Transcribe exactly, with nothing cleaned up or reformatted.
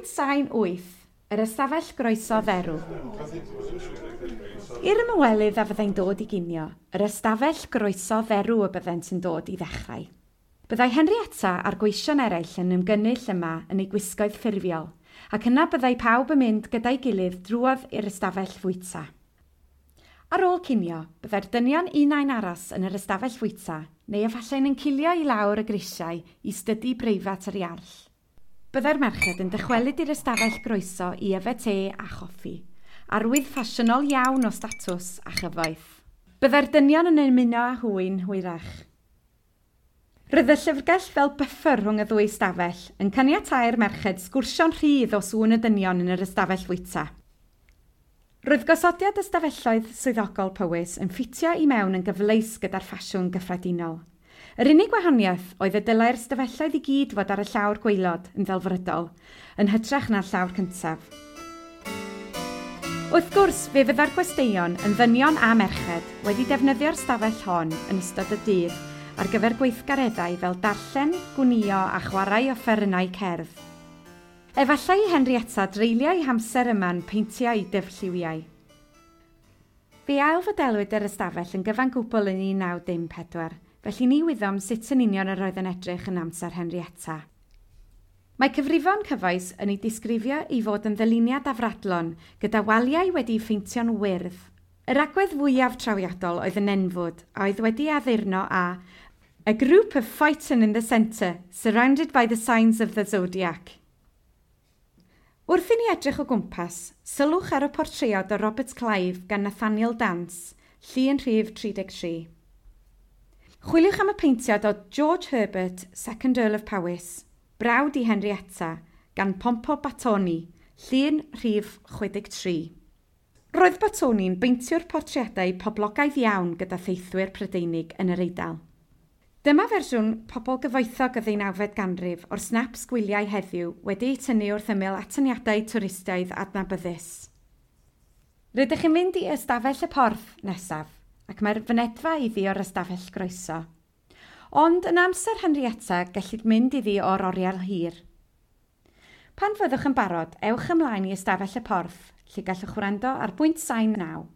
Pwynt sain wyth, yr ystafell groeso dderw. I'r ymwelydd a fyddai'n dod i ginio, yr ystafell groeso dderw y byddent yn dod i ddechrau. Byddai Henrietta a'r gweision eraill yn ymgynnull yma yn eu gwisgoedd ffurfiol, ac yna byddai pawb yn mynd gyda'i gilydd drwodd i'r ystafell fwyta. Ar ôl cinio, byddai'r dynion unai'n aros yn yr ystafell fwyta, neu efallai'n encilio i lawr y grisiau i stydi breifat yr iarll. Byddai'r merched yn dychwelyd i'r ystafell groeso i yfed te a choffi, arwydd ffasiynol iawn o statws a chyfoeth. Byddai'r dynion yn ymuno â hwy'n hwyrach. Roedd y llyfrgell fel buffer rhwng y ddwy ystafell yn caniatáu'r merched sgwrsio'n rhydd o sŵn y dynion yn yr ystafell fwyta. Roedd gosodiad ystafelloedd swyddogol Powys yn ffitio i mewn yn gyfleus gyda'r ffasiwn gyffredinol. Yr unig wahaniaeth oedd y dylai'r ystafelloedd i gyd fod ar y llawr gwaelod yn ddelfrydol, yn hytrach na'r llawr cyntaf. Wrth gwrs, fe fydda'r gwesteion yn ddynion a merched wedi defnyddio'r stafell hon yn ystod y dydd ar gyfer gweithgareddau fel darllen, gwnïo a chwarae offerynnau cerdd. Efallai i Henrietta dreulio ei hamser yma'n peintio ei dyfrlliwiau. Fe ailfodelwyd yr ystafell yn gyfan gwbl yn un naw dim pedwar, felly ni wyddom sut yn union yr oedd yn edrych yn amser Henrietta. Mae cyfrifon cyfoes yn ei disgrifio i fod yn ddyluniad afradlon, gyda waliau wedi'u pheintio'n wyrdd. Yr agwedd fwyaf trawiadol oedd y nenfwd, a oedd wedi addurno â a group of Phaeton in the centre, surrounded by the signs of the zodiac. Wrth i ni edrych o gwmpas, sylwch ar y portread o Robert Clive gan Nathaniel Dance, llun rhif tri deg tri. Chwiliwch am y peintiad o George Herbert, Second Earl of Powys, brawd i Henrietta, gan Pompo Battoni, llun rhif chwe deg tri. Roedd Battoni'n beintiwr portreadau poblogaidd iawn gyda theithwyr Prydeinig yn yr Eidal. Dyma fersiwn pobl gyfoethog y ddeunawfed ganrif o'r snaps gwyliau heddiw wedi eu tynnu wrth ymyl atyniadau twristaidd adnabyddus. Rydych chi'n mynd i ystafell y porth nesaf, ac mae'r fynedfa iddi o'r ystafell groeso. Ond yn amser Henrietta gellid mynd iddi o'r oriel hir. Pan fyddwch yn barod, ewch ymlaen i ystafell y porth, lle gallwch wrando ar bwynt sain naw.